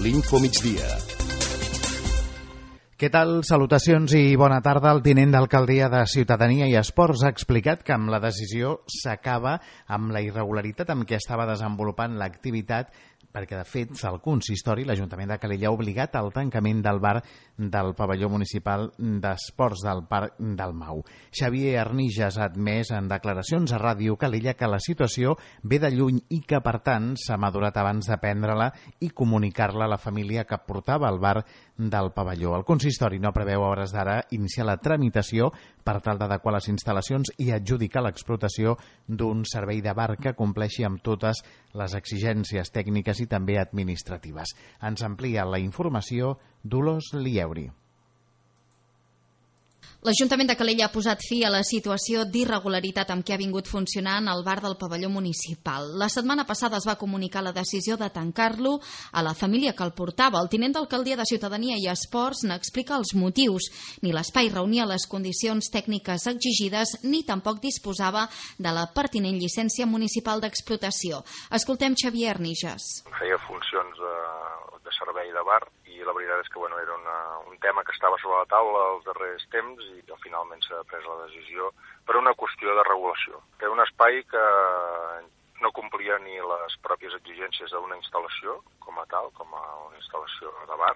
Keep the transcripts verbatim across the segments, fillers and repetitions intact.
l'Infomigdia. Què tal? Salutacions i bona tarda. El tinent d'alcaldia de Ciutadania i Esports ha explicat que amb la decisió s'acaba amb la irregularitat amb què estava desenvolupant l'activitat, perquè de fet el consistori, l'Ajuntament de Calella, ha obligat al tancament del bar del pavelló municipal d'esports del Parc del Mau. Xavier Arnijas ha admès en declaracions a Ràdio Calella que la situació ve de lluny i que per tant s'ha madurat abans de prendre-la i comunicar-la a la família que portava el bar del pavelló. El consistori no preveu a hores d'ara iniciar la tramitació per tal d'adequar les instal·lacions i adjudicar l'explotació d'un servei de bar que compleixi amb totes les exigències tècniques i també administratives. Ens amplia la informació Dolors Lieuri. L'Ajuntament de Calella ha posat fi a la situació d'irregularitat amb què ha vingut funcionant el bar del pavelló municipal. La setmana passada es va comunicar la decisió de tancar-lo a la família que el portava. El tinent d'alcaldia de Ciutadania i Esports n'explica els motius. Ni l'espai reunia les condicions tècniques exigides ni tampoc disposava de la pertinent llicència municipal d'explotació. Escoltem Xavier Arnijas. Feia funcions de, de servei de bar i la veritat és que bueno, era una, un tema que estava sobre la taula els darrers temps i que finalment s'ha pres la decisió per una qüestió de regulació. Era un espai que no complia ni les pròpies exigències d'una instal·lació com a tal, com a una instal·lació de bar,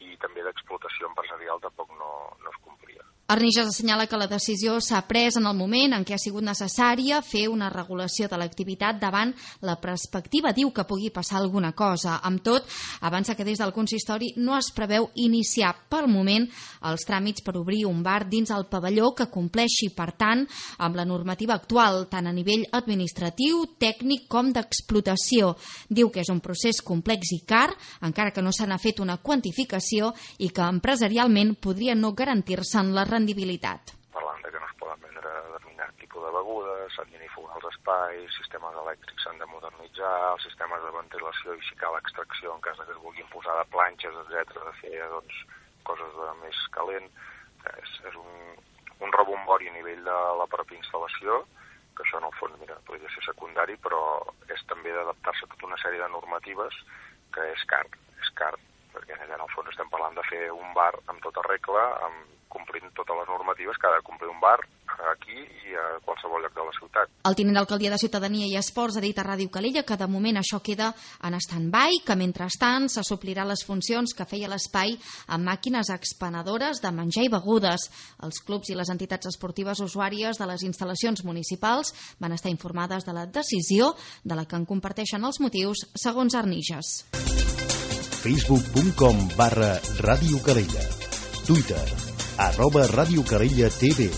i també d'explotació empresarial tampoc no, no es complia. Arnijas assenyala que la decisió s'ha pres en el moment en què ha sigut necessària fer una regulació de l'activitat davant la perspectiva, diu, que pugui passar alguna cosa. Amb tot, avança que des del consistori no es preveu iniciar pel moment els tràmits per obrir un bar dins el pavelló que compleixi, per tant, amb la normativa actual, tant a nivell administratiu, tècnic com d'explotació. Diu que és un procés complex i car, encara que no se n'ha fet una quantificació i que empresarialment podria no garantir-se'n la rendibilitat. Parlant de que no es poden vendre determinat tipus de begudes, s'han d'inifugar els espais, sistemes elèctrics s'han de modernitzar, els sistemes de ventilació i si cal extracció en cas que es vulguin posar de planxes, etcètera, de fer doncs, coses de més calent. És, és un, un rebombori a nivell de la pròpia instal·lació, que això en el fons mira, podria ser secundari, però és també d'adaptar-se a tota una sèrie de normatives que és car, és car, perquè en el fons estem parlant de fer un bar amb tota regla, amb complint totes les normatives que ha de complir un bar aquí i a qualsevol lloc de la ciutat. El tinent d'alcaldia de Ciutadania i Esports ha dit a Ràdio Calella que de moment això queda en stand-by, que mentrestant se suplirà les funcions que feia l'espai amb màquines expenedores de menjar i begudes. Els clubs i les entitats esportives usuàries de les instal·lacions municipals van estar informades de la decisió, de la que en comparteixen els motius, segons Arnijas. facebook punt com barra Ràdio Calella. Twitter, arroba Ràdio Calella T V.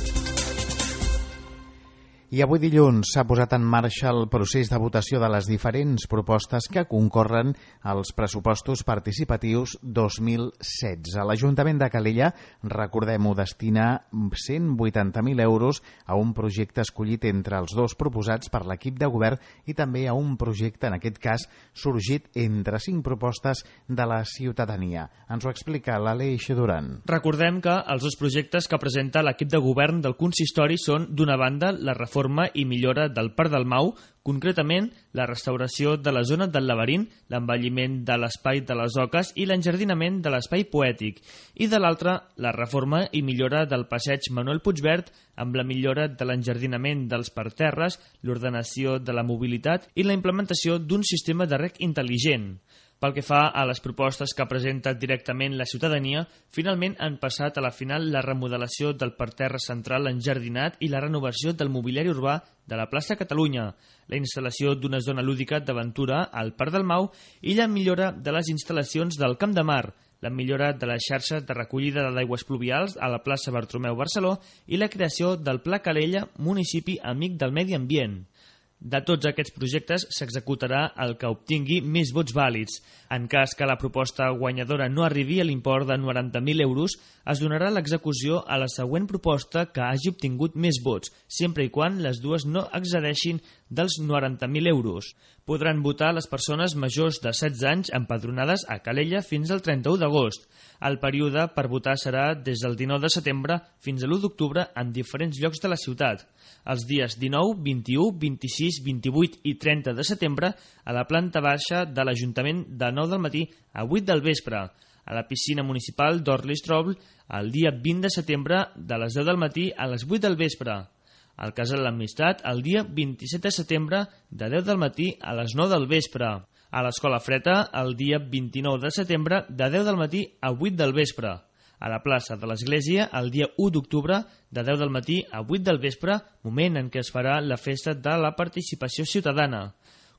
I avui dilluns s'ha posat en marxa el procés de votació de les diferents propostes que concorren als pressupostos participatius dos mil setze. L'Ajuntament de Calella, recordem-ho, destina cent vuitanta mil euros a un projecte escollit entre els dos proposats per l'equip de govern i també a un projecte, en aquest cas, sorgit entre cinc propostes de la ciutadania. Ens ho explica l'Aleix Duran. Recordem que els dos projectes que presenta l'equip de govern del consistori són, d'una banda, la reforma i millora del Parc del Mau, concretament la restauració de la zona del laberint, l'envelliment de l'espai de les oques i l'enjardinament de l'espai poètic, i de l'altra, la reforma i millora del passeig Manuel Puigverd amb la millora de l'enjardinament dels parterres, l'ordenació de la mobilitat i la implementació d'un sistema de rec intel·ligent. Pel que fa a les propostes que presenta directament la ciutadania, finalment han passat a la final la remodelació del parterre central enjardinat i la renovació del mobiliari urbà de la plaça Catalunya, la instal·lació d'una zona lúdica d'aventura al Parc del Mau i la millora de les instal·lacions del Camp de Mar, la millora de les xarxes de recollida d'aigües pluvials a la plaça Bartomeu Barceló i la creació del Pla Calella, municipi amic del medi ambient. De tots aquests projectes s'executarà el que obtingui més vots vàlids. En cas que la proposta guanyadora no arribi a l'import de noranta mil euros, es donarà l'execució a la següent proposta que hagi obtingut més vots, sempre i quan les dues no excedeixin dels noranta mil euros. Podran votar les persones majors de setze anys empadronades a Calella fins al trenta-u d'agost. El període per votar serà des del dinou de setembre fins a l'u d'octubre en diferents llocs de la ciutat. Els dies dinou, vint-i-u, vint-i-sis sis, vint-i-vuit i trenta de setembre a la planta baixa de l'Ajuntament de nou del matí a vuit del vespre, a la piscina municipal d'Orlistrol el dia vint de setembre de les deu del matí a les vuit del vespre, al Casal l'Amistat el dia vint-i-set de setembre de deu del matí a les nou del vespre, a l'Escola Freta el dia vint-i-nou de setembre de deu del matí a vuit del vespre, a la plaça de l'Església el dia u d'octubre de deu del matí a vuit del vespre, moment en què es farà la festa de la participació ciutadana.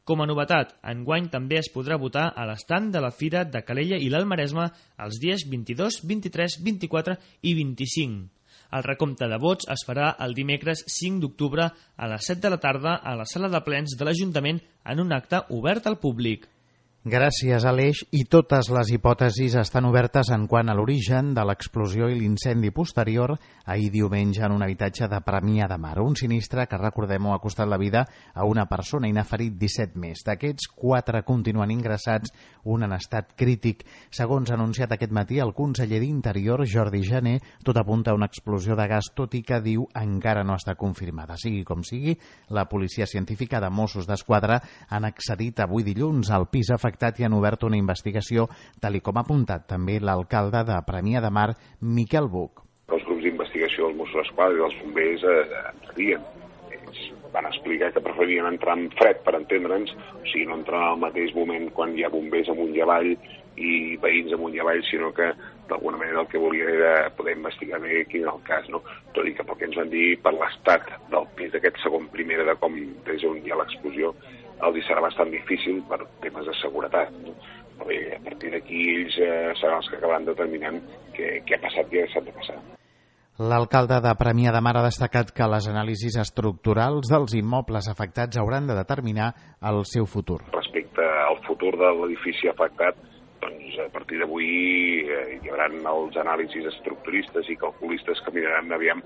Com a novetat, enguany també es podrà votar a l'estand de la Fira de Calella i l'Alt Maresme els dies vint-i-dos, vint-i-tres, vint-i-quatre i vint-i-cinc. El recompte de vots es farà el dimecres cinc d'octubre a les set de la tarda a la sala de plens de l'Ajuntament en un acte obert al públic. Gràcies, Aleix, i totes les hipòtesis estan obertes en quant a l'origen de l'explosió i l'incendi posterior ahir diumenge en un habitatge de Premià de Mar. Un sinistre que, recordem-ho, ha costat la vida a una persona i n'ha ferit disset més. D'aquests, quatre continuen ingressats, un en estat crític. Segons ha anunciat aquest matí el conseller d'Interior, Jordi Jané, tot apunta a una explosió de gas, tot i que diu encara no està confirmada. Sigui com sigui, la policia científica de Mossos d'Esquadra han accedit avui dilluns al pis afectat i han obert una investigació, tal i com ha apuntat també l'alcalde de Premià de Mar, Miquel Buch. Els grups d'investigació dels Mossos d'Esquadra i dels bombers eh, entrarien. Ells van explicar que preferien entrar en fred, per entendre'ns, o sigui, no entrar al mateix moment quan hi ha bombers amunt i avall i veïns amunt i avall, sinó que d'alguna manera el que volia era poder investigar bé quin era el cas, no? Tot i que pel que ens van dir, per l'estat del pis d'aquest segon primera de com des on hi ha l'explosió, el dia serà bastant difícil per temes de seguretat, no? Però bé, a partir d'aquí ells eh, seran els que acabaran determinant què, què ha passat i què s'ha de passar. L'alcalde de Premià de Mar ha destacat que les anàlisis estructurals dels immobles afectats hauran de determinar el seu futur. Respecte al futur de l'edifici afectat, doncs a partir d'avui eh, hi haurà els anàlisis estructuristes i calculistes que miraran aviam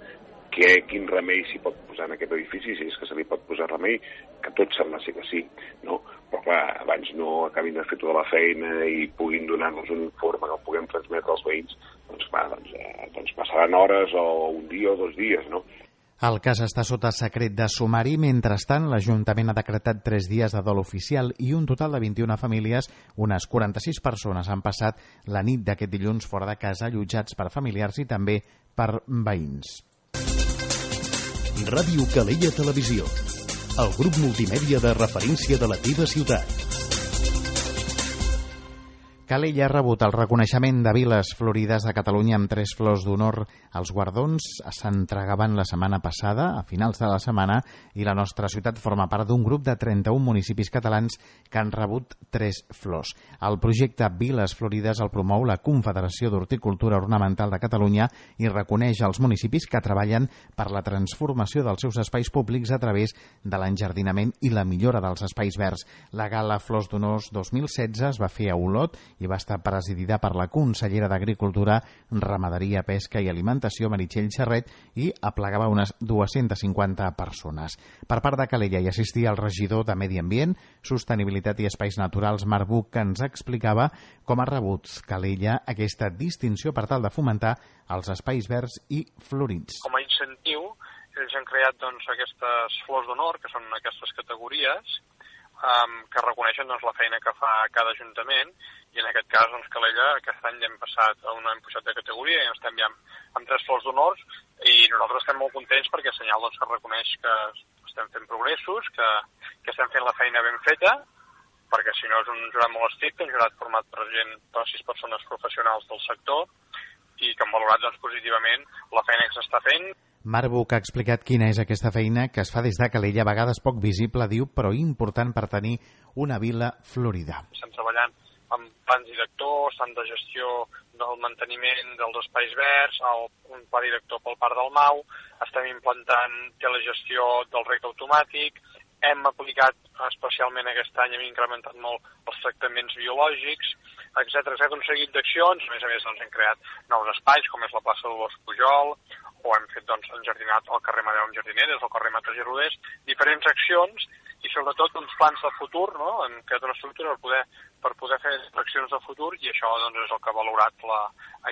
que, quin remei s'hi pot posar en aquest edifici, si és que se li pot posar remei, que tot sembla ser que sí, no? Però clar, abans no acabin de fer tota la feina i puguin donar-nos un informe que el puguem transmetre als veïns, doncs clar, doncs, eh, doncs passaran hores o un dia o dos dies, no? El cas està sota secret de sumari. Mentrestant, l'Ajuntament ha decretat tres dies de dol oficial i un total de vint-i-una famílies, unes quaranta-sis persones, han passat la nit d'aquest dilluns fora de casa, allotjats per familiars i també per veïns. Ràdio Calella Televisió, el grup multimèdia de referència de la teva ciutat. Calella ha rebut el reconeixement de Viles Florides de Catalunya amb tres flors d'honor. Els guardons s'entregaven la setmana passada, a finals de la setmana, i la nostra ciutat forma part d'un grup de trenta-un municipis catalans que han rebut tres flors. El projecte Viles Florides el promou la Confederació d'Horticultura Ornamental de Catalunya i reconeix els municipis que treballen per la transformació dels seus espais públics a través de l'enjardinament i la millora dels espais verds. La gala Flors d'Honors dos mil setze es va fer a Olot i va estar presidida per la consellera d'Agricultura, Ramaderia, Pesca i Alimentació, Meritxell Xerret, i aplegava unes dues-centes cinquanta persones. Per part de Calella hi assistia el regidor de Medi Ambient, Sostenibilitat i Espais Naturals, Marc Buch, que ens explicava com ha rebut Calella aquesta distinció per tal de fomentar els espais verds i florits. Com a incentiu, ells han creat doncs, aquestes flors d'honor, que són aquestes categories, Um, que reconeixen doncs, la feina que fa cada ajuntament, i en aquest cas doncs, Calella aquest any hem passat a una hem pujat de categoria i estem ja amb, amb tres flors d'honors, i nosaltres estem molt contents perquè és senyal doncs, que reconeix que estem fent progressos, que, que estem fent la feina ben feta, perquè si no és un jurat molt estricte, un jurat format per gent, per sis persones professionals del sector, i que han valorat doncs, positivament la feina que s'està fent. Marc Buch ha explicat quina és aquesta feina que es fa des de Calella, a vegades poc visible, diu, però important per tenir una vila florida. Estem treballant amb plans directors, tant de gestió del manteniment dels espais verds, el, un pla director pel Parc del Mau, estem implantant telegestió del rec automàtic, hem aplicat especialment aquest any, hem incrementat molt els tractaments biològics, etcètera, etcètera, un seguit d'accions. A més a més, doncs, hem creat nous espais, com és la plaça de l'Os Pujol, o hem fet doncs, enjardinat el carrer Madeu amb jardineres, el carrer Mates i Rodés, diferents accions i sobretot uns plans de futur, no? Hem creat una estructura per poder, per poder fer accions de futur, i això doncs, és el que ha valorat la,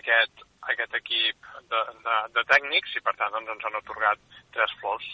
aquest, aquest equip de, de, de tècnics, i per tant doncs, ens han atorgat tres flors.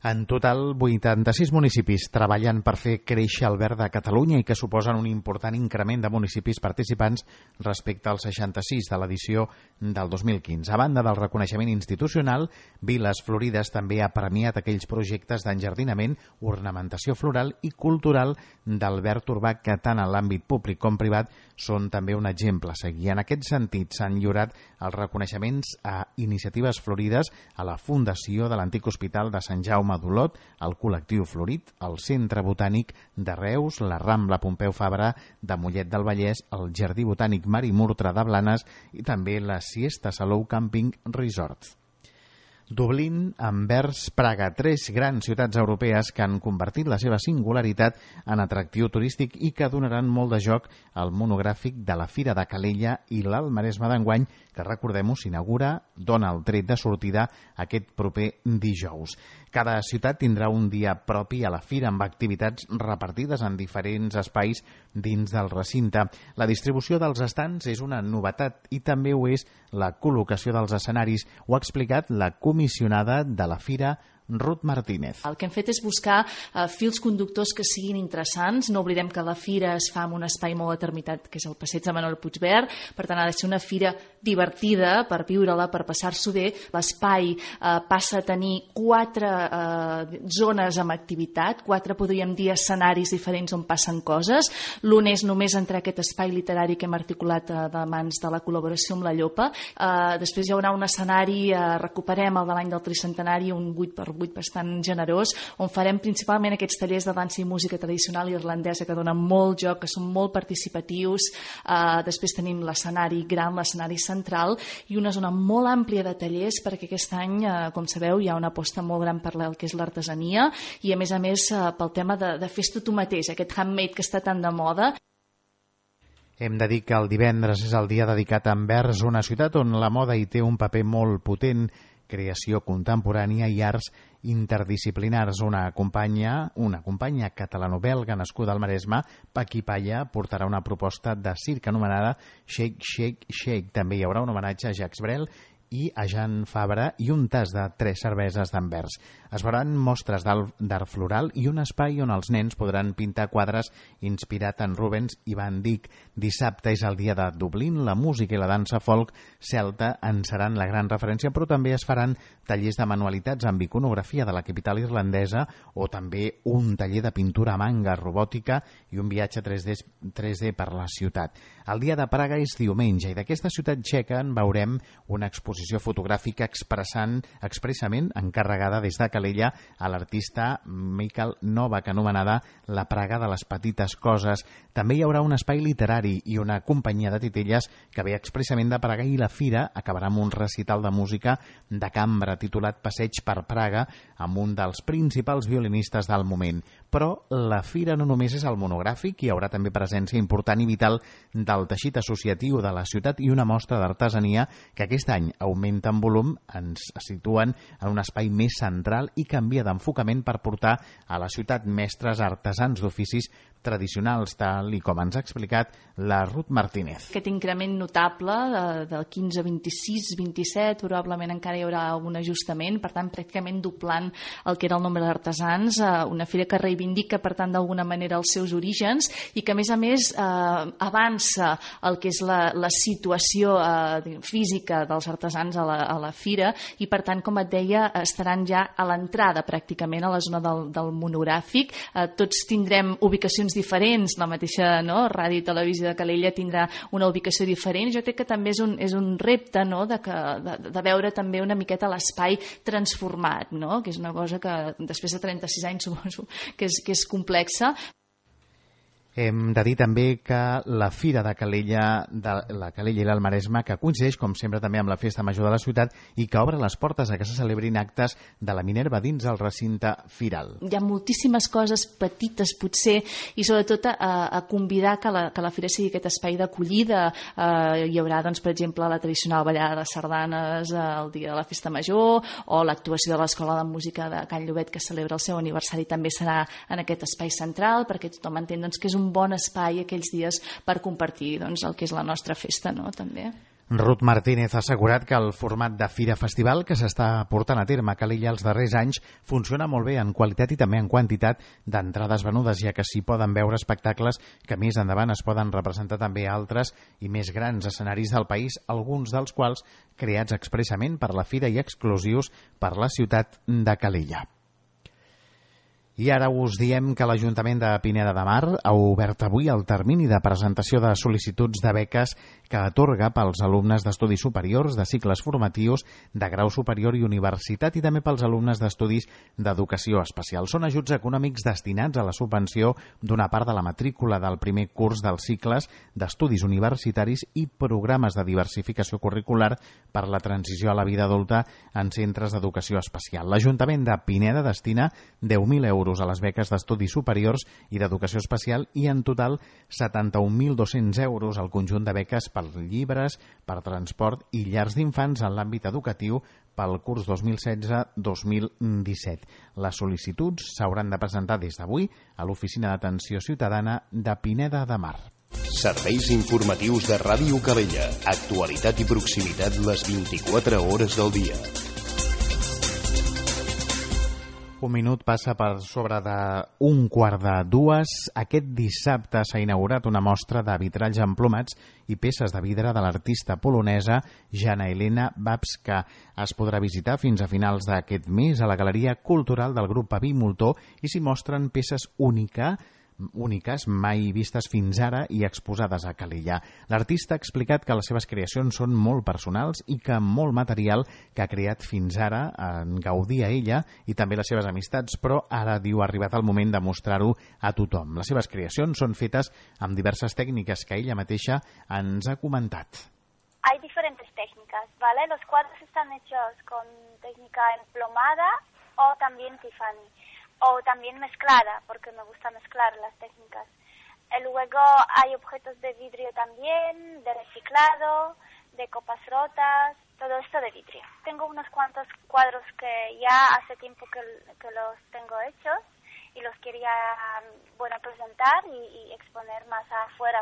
En total, vuitanta-sis municipis treballen per fer créixer el verd de Catalunya i que suposen un important increment de municipis participants respecte als seixanta-sis de l'edició del dos mil quinze. A banda del reconeixement institucional, Viles Florides també ha premiat aquells projectes d'enjardinament, ornamentació floral i cultural del verd urbà que tant en l'àmbit públic com privat són també un exemple a seguir. En aquest sentit, s'han lliurat els reconeixements a Iniciatives Florides, a la Fundació de l'Antic Hospital de Sant Jaume d'Olot, el Col·lectiu Florit, el Centre Botànic de Reus, la Rambla Pompeu Fabra de Mollet del Vallès, el Jardí Botànic Marimurtra de Blanes i també la Siesta Salou Camping Resort. Dublín, Anvers, Praga, tres grans ciutats europees que han convertit la seva singularitat en atractiu turístic i que donaran molt de joc al monogràfic de la Fira de Calella i l'Alt Maresme d'enguany, que recordem-ho, s'inaugura, dona el tret de sortida aquest proper dijous. Cada ciutat tindrà un dia propi a la fira amb activitats repartides en diferents espais dins del recinte. La distribució dels estants és una novetat i també ho és la col·locació dels escenaris. Ho ha explicat la comissionada de la fira, Ruth Martínez. El que hem fet és buscar uh, fils conductors que siguin interessants. No oblidem que la fira es fa en un espai molt determinat, que és el passeig de Manuel Puigverd. Per tant, ha de ser una fira divertida per viure-la, per passar-s'ho bé. L'espai uh, passa a tenir quatre uh, zones amb activitat, quatre, podríem dir, escenaris diferents on passen coses. L'un és només entrar a aquest espai literari que hem articulat uh, de mans de la col·laboració amb la Llopa. Uh, després hi haurà un escenari, uh, recuperem el de l'any del tricentenari, un vuit per vuit bastant generós, on farem principalment aquests tallers de dansa i música tradicional irlandesa que donen molt joc, que són molt participatius. Uh, després tenim l'escenari gran, l'escenari central i una zona molt àmplia de tallers perquè aquest any, uh, com sabeu, hi ha una aposta molt gran per el que és l'artesania i a més a més uh, pel tema de, de fes-t'ho tu mateix, aquest handmade que està tan de moda. Hem de dir que el divendres és el dia dedicat a Anvers, una ciutat on la moda hi té un paper molt potent, creació contemporània i arts interdisciplinars. Una companya, una companya catalano-belga nascuda al Maresme, Paqui Palla, portarà una proposta de circ anomenada Shake, Shake, Shake. També hi haurà un homenatge a Jacques Brel i a Jean Fabra i un tas de tres cerveses d'Anvers. Es veuran mostres d'art floral i un espai on els nens podran pintar quadres inspirat en Rubens i Van Dyck. Dissabte és el dia de Dublín, la música i la dansa folk celta en seran la gran referència, però també es faran tallers de manualitats amb iconografia de la capital irlandesa o també un taller de pintura a manga robòtica i un viatge tres D, tres D per la ciutat. El dia de Praga és diumenge i d'aquesta ciutat txeca en veurem una exposició fotogràfica expressant, expressament encarregada des de Calella a l'artista Michael Novak, anomenada La Praga de les petites coses. També hi haurà un espai literari i una companyia de titelles que ve expressament de Praga i la fira acabarà amb un recital de música de cambra titulat Passeig per Praga amb un dels principals violinistes del moment. Però la fira no només és el monogràfic, hi haurà també presència important i vital del teixit associatiu de la ciutat i una mostra d'artesania que aquest any augmenta en volum, ens situen en un espai més central i canvia d'enfocament per portar a la ciutat mestres artesans d'oficis tradicionals, tal i com ens ha explicat la Ruth Martínez. Aquest increment notable de, del quinze, vint-i-sis, vint-i-set, probablement encara hi haurà algun ajustament, per tant, pràcticament doblant el que era el nombre d'artesans, una fira que reivindica, per tant, d'alguna manera els seus orígens i que, a més a més, eh, avança el que és la, la situació eh, física dels artesans a la, a la fira i, per tant, com et deia, estaran ja a l'entrada, pràcticament, a la zona del, del monogràfic. Eh, tots tindrem ubicacions diferents, la mateixa no, Ràdio i Televisió de Calella tindrà una ubicació diferent. Jo crec que també és un, és un repte no, de, que, de, de veure també una miqueta l'espai transformat, no? Que és una cosa que després de trenta-sis anys suposo que és, que és complexa. Hem de dir també que la Fira de Calella, de la Calella i l'Alt Maresme, que coincideix, com sempre, també amb la Festa Major de la ciutat i que obre les portes a que se celebrin actes de la Minerva dins el recinte firal. Hi ha moltíssimes coses petites, potser, i sobretot a, a convidar que la, que la Fira sigui aquest espai d'acollida. Eh, hi haurà, doncs, per exemple, la tradicional ballada de sardanes el dia de la Festa Major o l'actuació de l'Escola de Música de Can Llobet, que celebra el seu aniversari, també serà en aquest espai central, perquè tothom entén doncs, que és un bon espai aquells dies per compartir doncs, el que és la nostra festa, no? També. Ruth Martínez ha assegurat que el format de Fira-Festival que s'està portant a terme a Calella els darrers anys funciona molt bé en qualitat i també en quantitat d'entrades venudes, ja que s'hi poden veure espectacles que més endavant es poden representar també a altres i més grans escenaris del país, alguns dels quals creats expressament per la Fira i exclusius per la ciutat de Calella. I ara us diem que l'Ajuntament de Pineda de Mar ha obert avui el termini de presentació de sol·licituds de beques que atorga pels alumnes d'estudis superiors, de cicles formatius, de grau superior i universitat i també pels alumnes d'estudis d'educació especial. Són ajuts econòmics destinats a la subvenció d'una part de la matrícula del primer curs dels cicles d'estudis universitaris i programes de diversificació curricular per la transició a la vida adulta en centres d'educació especial. L'Ajuntament de Pineda destina deu mil euros a les beques d'estudis superiors i d'educació especial i en total setanta-un mil dos-cents euros al conjunt de beques per llibres, per transport i llars d'infants en l'àmbit educatiu pel curs dos mil setze dos mil disset. Les sol·licituds s'hauran de presentar des d'avui a l'Oficina d'Atenció Ciutadana de Pineda de Mar. Serveis informatius de Ràdio Calella. Actualitat i proximitat les vint-i-quatre hores del dia. Un minut passa per sobre d'un quart de dues. Aquest dissabte s'ha inaugurat una mostra de vitralls emplomats i peces de vidre de l'artista polonesa Jana Elena Babska. Es podrà visitar fins a finals d'aquest mes a la Galeria Cultural del grup Paví Moltó i s'hi mostren peces úniques úniques mai vistes fins ara i exposades a Calella. L'artista ha explicat que les seves creacions són molt personals i que molt material que ha creat fins ara en gaudia ella i també les seves amistats, però ara diu ha arribat el moment de mostrar-ho a tothom. Les seves creacions són fetes amb diverses tècniques que ella mateixa ens ha comentat. Hay diferentes técnicas, ¿vale? Los cuadros están hechos con técnica emplomada o también Tiffany. O también mezclada, porque me gusta mezclar las técnicas. Y luego hay objetos de vidrio también, de reciclado, de copas rotas, todo esto de vidrio. Tengo unos cuantos cuadros que ya hace tiempo que, que los tengo hechos y los quería, bueno, presentar y, y exponer más afuera.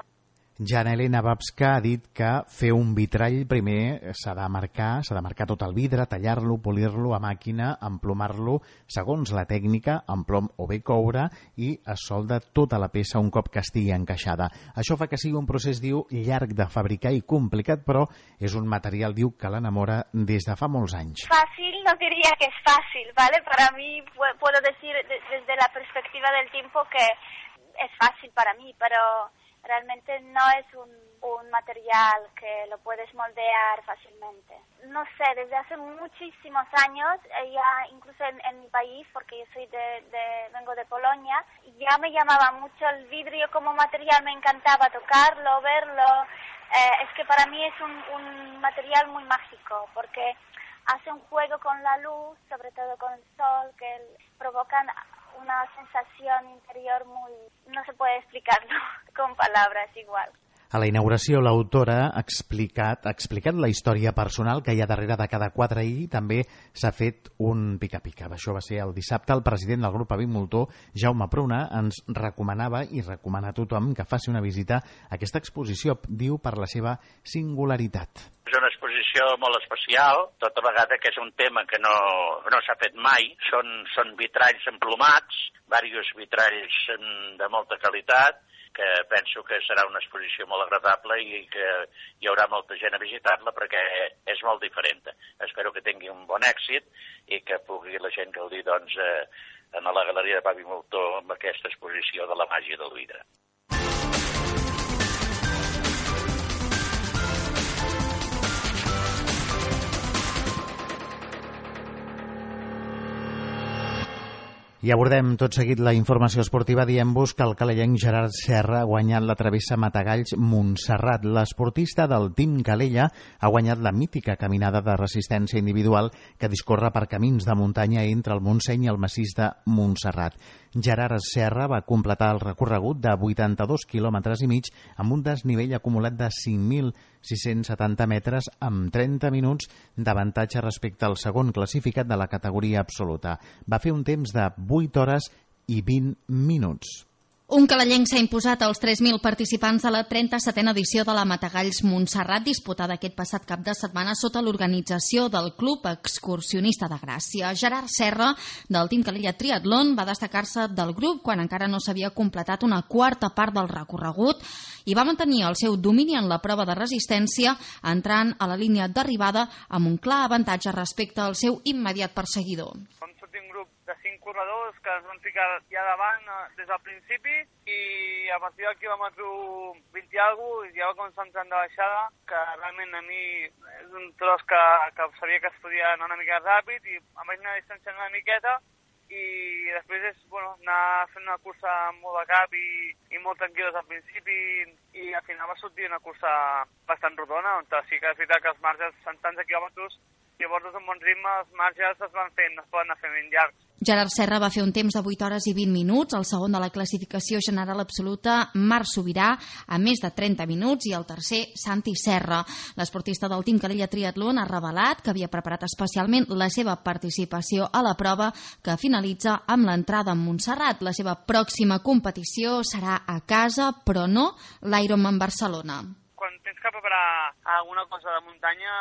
Jana Elena Babska ha dit que fer un vitrall primer s'ha de marcar, s'ha de marcar tot el vidre, tallar-lo, polir-lo a màquina, emplomar-lo segons la tècnica, amb plom o bé coure, i es solda tota la peça un cop que estigui encaixada. Això fa que sigui un procés, diu, llarg de fabricar i complicat, però és un material, diu, que l'enamora des de fa molts anys. Fácil no diría que es fácil, ¿vale? Para mí puedo decir desde la perspectiva del tiempo que es fácil para mí, pero realmente no es un, un material que lo puedes moldear fácilmente. No sé, desde hace muchísimos años, ya incluso en, en mi país, porque yo soy de, de, vengo de Polonia, ya me llamaba mucho el vidrio como material, me encantaba tocarlo, verlo. Eh, es que para mí es un, un material muy mágico, porque hace un juego con la luz, sobre todo con el sol, que provocan una sensación interior muy... no se puede explicarlo con palabras igual. A la inauguració, l'autora ha explicat, ha explicat la història personal que hi ha darrere de cada quadre i també s'ha fet un pica-pica. Això va ser el dissabte. El president del grup Paví Moltó, Jaume Pruna, ens recomanava i recomana a tothom que faci una visita a aquesta exposició, diu, per la seva singularitat. És una exposició molt especial, tota vegada que és un tema que no, no s'ha fet mai. Són, són vitralls emplomats, diversos vitralls de molta qualitat, que penso que serà una exposició molt agradable i que hi haurà molta gent a visitar-la perquè és molt diferent. Espero que tingui un bon èxit i que pugui la gent gaudir, doncs, eh, en la Galeria de Paví Moltó amb aquesta exposició de la màgia del vidre. I abordem tot seguit la informació esportiva dient-vos que el calellenc Gerard Serra ha guanyat la travessa Matagalls-Montserrat. L'esportista del Team Calella ha guanyat la mítica caminada de resistència individual que discorre per camins de muntanya entre el Montseny i el massís de Montserrat. Gerard Serra va completar el recorregut de vuitanta-dos quilòmetres i mig amb un desnivell acumulat de cinc mil sis-cents setanta metres amb trenta minuts d'avantatge respecte al segon classificat de la categoria absoluta. Va fer un temps de vuit hores i vint minuts. Un calellenc s'ha imposat als tres mil participants de la trenta-setena edició de la Matagalls Montserrat, disputada aquest passat cap de setmana sota l'organització del Club Excursionista de Gràcia. Gerard Serra, del Team Calella Triatlon, va destacar-se del grup quan encara no s'havia completat una quarta part del recorregut i va mantenir el seu domini en la prova de resistència, entrant a la línia d'arribada amb un clar avantatge respecte al seu immediat perseguidor. Som tot un grup de cinc corredors que es van ficar ja davant des del principi i a partir del quilòmetre vint i alguna cosa ja va començar entrant de baixada, que realment a mi és un tros que, que sabia que es podia anar una mica ràpid i em vaig anar distanciant una miqueta i després és bueno, anar fent una cursa molt de cap i, i molt tranquil·los al principi i al final va sortir una cursa bastant rodona, on sí que és veritat que els marges són tants de quilòmetres i llavors és un bon ritme, els marges es van fent, es poden anar fent ben llargs. Gerard Serra va fer un temps de vuit hores i vint minuts, el segon de la classificació general absoluta, Marc Sobirà, a més de trenta minuts, i el tercer, Santi Serra. L'esportista del Team Calella Triatlon ha revelat que havia preparat especialment la seva participació a la prova, que finalitza amb l'entrada en Montserrat. La seva pròxima competició serà a casa, però no l'Ironman Barcelona. Quan tens que preparar alguna cosa de muntanya,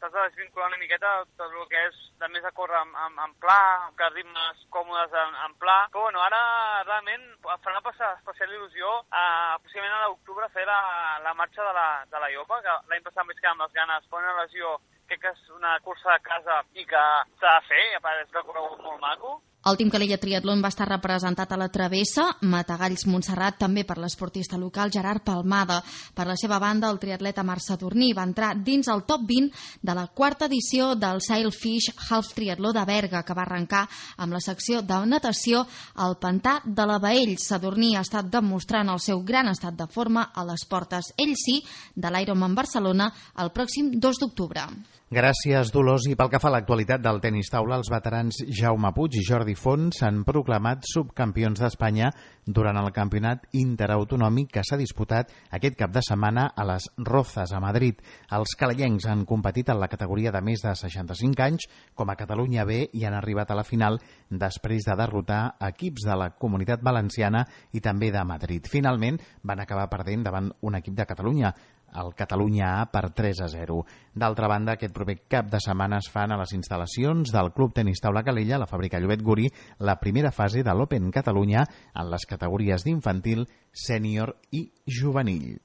t'has de desvincular una miqueta tot el que és de més a córrer en, en, en pla, que ritmes còmodes en, en pla. Però bueno, ara realment em farà passar especial il·lusió eh, possiblement a l'octubre fer la, la marxa de la, de la Iopa, que l'any passat em vaig quedar amb les ganes, per una lesió, crec que és una cursa a casa i que s'ha de fer, i a part és un recorregut molt maco. El Team Calella Triatlon va estar representat a la travessa, Matagalls Montserrat, també per l'esportista local Gerard Palmada. Per la seva banda, el triatleta Marc Sadurní va entrar dins el top vint de la quarta edició del Sailfish Half Triatló de Berga, que va arrencar amb la secció de natació al pantà de la Baell. Sadurní ha estat demostrant el seu gran estat de forma a les portes, ell sí, de l'Ironman Barcelona el pròxim dos d'octubre. Gràcies, Dolors. I pel que fa a l'actualitat del tenis taula, els veterans Jaume Puig i Jordi Font s'han proclamat subcampions d'Espanya durant el campionat interautonòmic que s'ha disputat aquest cap de setmana a les Rozas, a Madrid. Els calellencs han competit en la categoria de més de seixanta-cinc anys com a Catalunya B i han arribat a la final després de derrotar equips de la Comunitat Valenciana i també de Madrid. Finalment van acabar perdent davant un equip de Catalunya, el Catalunya A, per tres a zero. D'altra banda, aquest proper cap de setmana es fan a les instal·lacions del Club Tenis Taula Calella, la fàbrica Llobet Gurí, la primera fase de l'Open Catalunya en les categories d'infantil, sènior i juvenil.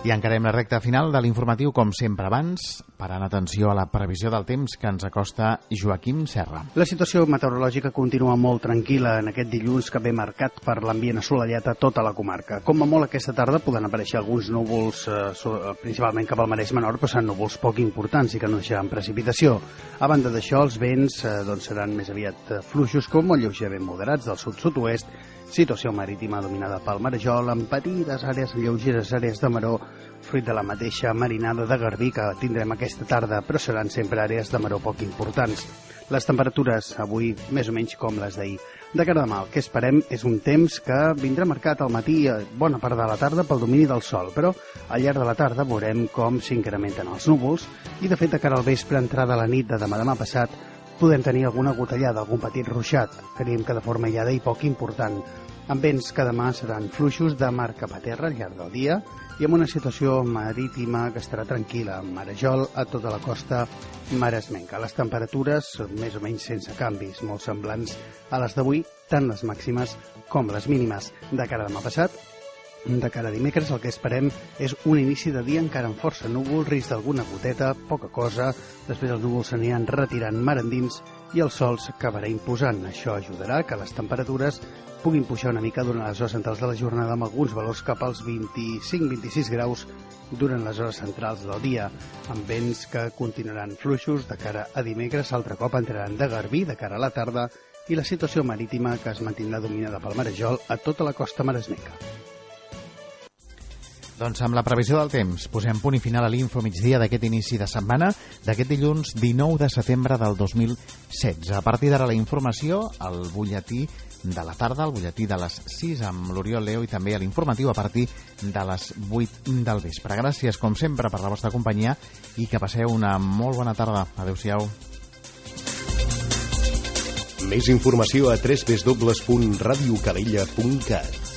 I encarem la recta final de l'informatiu, com sempre abans, parant atenció a la previsió del temps que ens acosta Joaquim Serra. La situació meteorològica continua molt tranquil·la en aquest dilluns que ve marcat per l'ambient assolellat a tota la comarca. Com a molt aquesta tarda poden aparèixer alguns núvols, eh, principalment cap al Maresme Menor, però seran núvols poc importants i que no deixaran precipitació. A banda d'això, els vents eh, doncs seran més aviat fluixos com molt lleugerament moderats del sud-sud-oest, situació marítima dominada pel marejol, amb petites àrees lleugeres, àrees de maró, fruit de la mateixa marinada de garbí que tindrem aquesta tarda, però seran sempre àrees de maró poc importants. Les temperatures avui més o menys com les d'ahir. De cara demà, el que esperem és un temps que vindrà marcat al matí a bona part de la tarda pel domini del sol, però al llarg de la tarda veurem com s'incrementen els núvols i, de fet, de cara al vespre, entrada a la nit de demà demà passat, podem tenir alguna gotellada, algun petit ruixat, creiem que de forma aïllada i poc important, amb vents que demà seran fluixos de mar cap a terra al llarg del dia i amb una situació marítima que estarà tranquil·la, amb marejol a tota la costa maresmenca. Les temperatures més o menys sense canvis, molt semblants a les d'avui, tant les màximes com les mínimes. De cara a demà passat, de cara a dimecres, el que esperem és un inici de dia encara amb força núvol, risc d'alguna goteta, poca cosa, després els núvols s'aniran retirant mar endins i el sol s'acabarà imposant. Això ajudarà que les temperatures puguin pujar una mica durant les hores centrals de la jornada, amb alguns valors cap als vint-i-cinc a vint-i-sis graus durant les hores centrals del dia, amb vents que continuaran fluixos de cara a dimecres, altre cop entraran de garbí de cara a la tarda i la situació marítima que es mantindrà dominada pel marejol a tota la costa maresmenca. Doncs amb la previsió del temps posem punt i final a l'Info Migdia d'aquest inici de setmana, d'aquest dilluns dinou de setembre del dos mil setze. A partir d'ara la informació, el butlletí de la tarda, al butlletí de les sis amb l'Oriol Leo i també a l'informatiu a partir de les vuit del vespre. Gràcies, com sempre, per la vostra companyia i que passeu una molt bona tarda. Adéu-siau. Més informació a w w w punt radio calella punt cat.